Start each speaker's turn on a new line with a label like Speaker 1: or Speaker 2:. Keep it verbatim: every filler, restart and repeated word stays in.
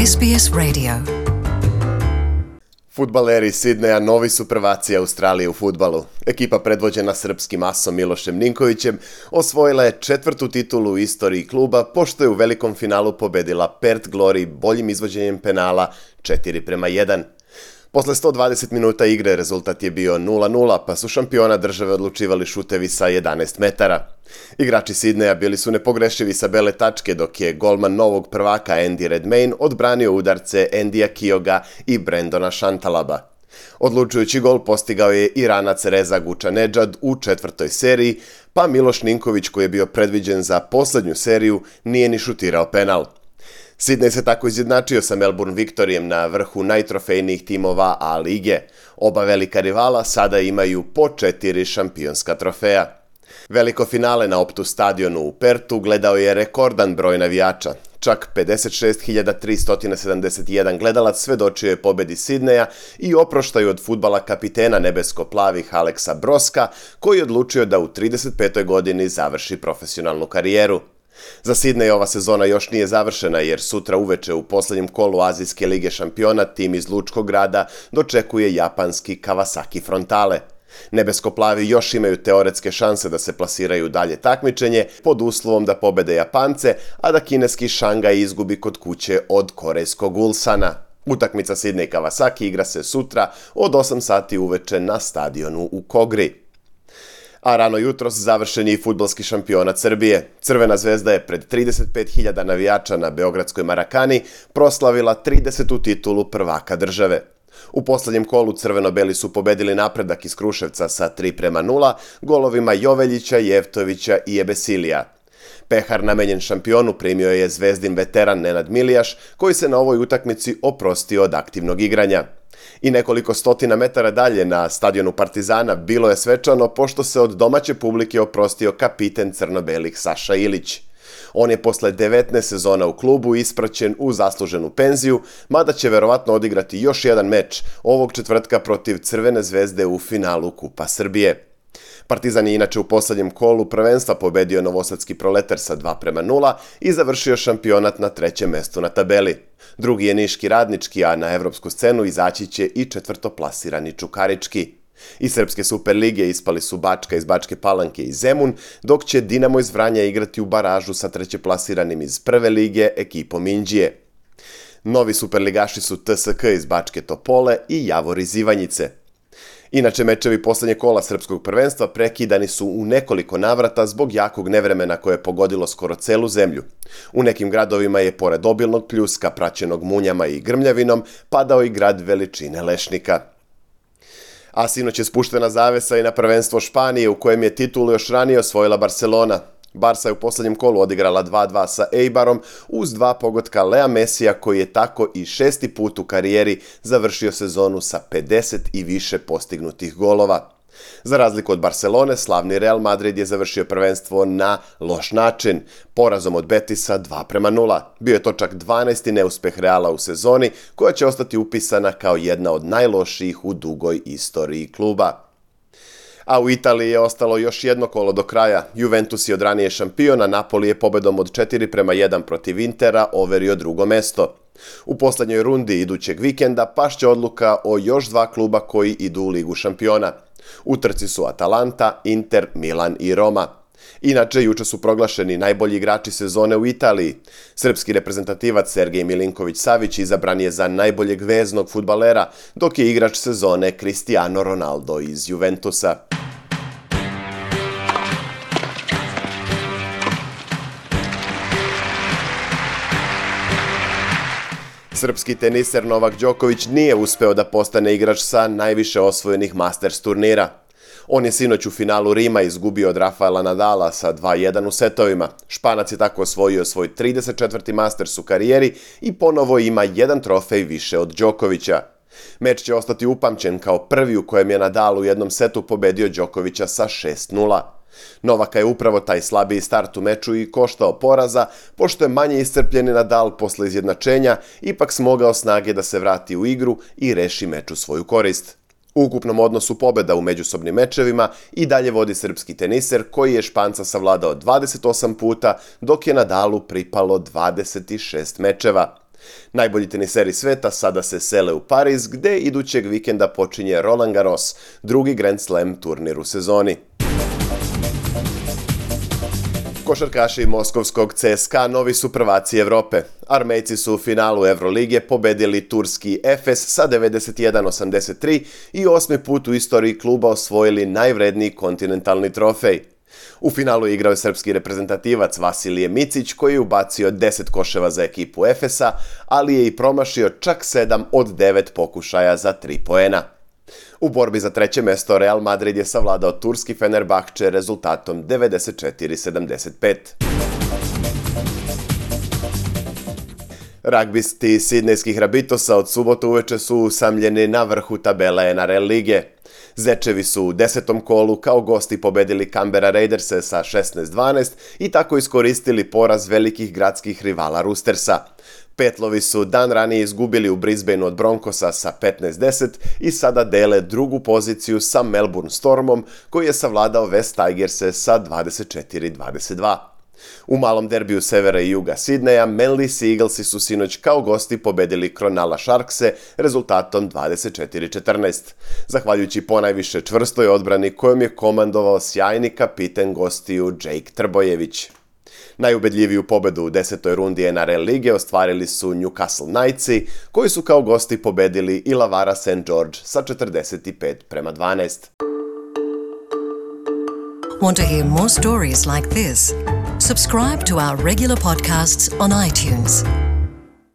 Speaker 1: S B S Radio.
Speaker 2: Fudbaleri Sidneja novi su prvaci Australije u fudbalu. Ekipa predvođena srpskim asom Milošem Ninkovićem osvojila je četvrtu titulu u istoriji kluba, pošto je u velikom finalu pobedila Perth Glory boljim izvođenjem penala četiri prema jedan. Posle sto dvadeset minuta igre rezultat je bio nula nula, pa su šampiona države odlučivali šutevi sa jedanaest metara. Igrači Sidneja bili su nepogrešivi sa bele tačke, dok je golman novog prvaka Andy Redmayne odbranio udarce Andyja Kioga i Brendona Šantalaba. Odlučujući gol postigao je Iranac Reza Gučanedžad u četvrtoj seriji, pa Miloš Ninković, koji je bio predviđen za poslednju seriju, nije ni šutirao penal. Sidnej se tako izjednačio sa Melbourne Victorijem na vrhu najtrofejnijih timova A lige. Oba velika rivala sada imaju po četiri šampionska trofeja. Veliko finale na Optus stadionu u Pertu gledao je rekordan broj navijača. Čak pedeset šest hiljada tristo sedamdeset jedan gledalac svedočio je pobedi Sidneja i oproštaju od fudbala kapitena nebesko-plavih Aleksa Broska, koji je odlučio da u trideset petoj godini završi profesionalnu karijeru. Za Sidnej ova sezona još nije završena, jer sutra uveče u poslednjem kolu Azijske lige šampiona tim iz Lučkog grada dočekuje japanski Kawasaki Frontale. Nebesko-plavi još imaju teoretske šanse da se plasiraju u dalje takmičenje pod uslovom da pobede Japance, a da kineski Šangaj izgubi kod kuće od korejskog Ulsana. Utakmica Sidnej Kawasaki igra se sutra od osam sati uveče na stadionu u Kogri. A rano jutros završen je i fudbalski šampionat Srbije. Crvena zvezda je pred trideset pet hiljada navijača na beogradskoj Marakani proslavila tridesetu titulu prvaka države. U poslednjem kolu crveno-beli su pobedili Napredak iz Kruševca sa tri prema nula golovima Joveljića, Jevtovića i Ebesilija. Pehar namenjen šampionu primio je zvezdin veteran Nenad Milijaš, koji se na ovoj utakmici oprostio od aktivnog igranja. I nekoliko stotina metara dalje na stadionu Partizana bilo je svečano, pošto se od domaće publike oprostio kapiten crno-belih Saša Ilić. On je posle devetnaest sezona u klubu ispraćen u zasluženu penziju, mada će verovatno odigrati još jedan meč ovog četvrtka protiv Crvene zvezde u finalu Kupa Srbije. Partizan je inače u poslednjem kolu prvenstva pobedio novosadski Proletar sa dva prema nula i završio šampionat na trećem mestu na tabeli. Drugi je niški Radnički, a na evropsku scenu izaći će i četvrtoplasirani Čukarički. Iz Srpske Superlige ispali su Bačka iz Bačke Palanke i Zemun, dok će Dinamo iz Vranja igrati u baražu sa trećeplasiranim iz Prve lige ekipom Inđije. Novi superligaši su T S K iz Bačke Topole i Javor iz Ivanjice. Inače, mečevi poslednje kola srpskog prvenstva prekidani su u nekoliko navrata zbog jakog nevremena koje je pogodilo skoro celu zemlju. U nekim gradovima je, pored obilnog pljuska praćenog munjama i grmljavinom, padao i grad veličine lešnika. A sinoć je spuštena zavesa i na prvenstvo Španije, u kojem je titulu još ranije osvojila Barcelona. Barsa je u poslednjem kolu odigrala dva dva sa Eibarom uz dva pogotka Lea Mesija, koji je tako i šesti put u karijeri završio sezonu sa pedeset i više postignutih golova. Za razliku od Barcelone, slavni Real Madrid je završio prvenstvo na loš način, porazom od Betisa dva prema nula. Bio je to čak dvanaesti neuspeh Reala u sezoni, koja će ostati upisana kao jedna od najlošijih u dugoj istoriji kluba. A u Italiji je ostalo još jedno kolo do kraja. Juventus je od ranije šampion, a Napoli je pobedom od četiri prema jedan protiv Intera overio drugo mesto. U poslednjoj rundi idućeg vikenda pašće odluka o još dva kluba koji idu u Ligu šampiona. U trci su Atalanta, Inter, Milan i Roma. Inače, juče su proglašeni najbolji igrači sezone u Italiji. Srpski reprezentativac Sergej Milinković-Savić izabran je za najboljeg veznog fudbalera, dok je igrač sezone Cristiano Ronaldo iz Juventusa. Srpski teniser Novak Đoković nije uspeo da postane igrač sa najviše osvojenih Masters turnira. On je sinoć u finalu Rima izgubio od Rafaela Nadala sa dva jedan u setovima. Španac je tako osvojio svoj trideset četvrti Masters u karijeri i ponovo ima jedan trofej više od Đokovića. Meč će ostati upamćen kao prvi u kojem je Nadal u jednom setu pobedio Đokovića sa šest nula. Novaka je upravo taj slabiji start u meču i koštao poraza, pošto je manje iscrpljeni Nadal posle izjednačenja ipak smogao snage da se vrati u igru i reši meč u svoju korist. U ukupnom odnosu pobeda u međusobnim mečevima i dalje vodi srpski teniser, koji je Španca savladao dvadeset osam puta, dok je Nadalu pripalo dvadeset šest mečeva. Najbolji teniseri sveta sada se sele u Pariz, gde idućeg vikenda počinje Roland Garros, drugi Grand Slam turnir u sezoni. Košarkaši moskovskog C S K A novi su prvaci Evrope. Armejci su u finalu Evrolige pobedili turski Efes sa devedeset jedan osamdeset tri i osmi put u istoriji kluba osvojili najvredniji kontinentalni trofej. U finalu igrao je srpski reprezentativac Vasilije Micić koji je ubacio deset koševa za ekipu Efesa, ali je i promašio čak sedam od devet pokušaja za tri poena. U borbi za treće mesto Real Madrid je savladao turski Fenerbahče rezultatom devedeset četiri sedamdeset pet. Ragbisti sidnejskih Rabitosa od subote uveče su usamljeni na vrhu tabele N R L lige. Zečevi su u desetom kolu kao gosti pobedili Canberra Raiderse sa šesnaest dvanaest i tako iskoristili poraz velikih gradskih rivala Roostersa. Petlovi su dan ranije izgubili u Brisbaneu od Broncosa sa petnaest deset i sada dele drugu poziciju sa Melbourne Stormom koji je savladao West Tigerse sa dvadeset četiri dvadeset dva. U malom derbiju severa i juga Sidneja, Manly Sea Eaglesi su sinoć kao gosti pobedili Cronulla Sharkse rezultatom dvadeset četiri četrnaest. Zahvaljujući ponajviše čvrstoj odbrani kojom je komandovao sjajni kapiten gostiju Jake Trbojević. Najubedljiviju pobedu u desetoj rundi N R L lige ostvarili su Newcastle Knightsi, koji su kao gosti pobedili Illawarra Saint George sa četrdeset pet prema dvanaest.
Speaker 1: Want to hear more stories like this? Subscribe to our regular podcasts on iTunes.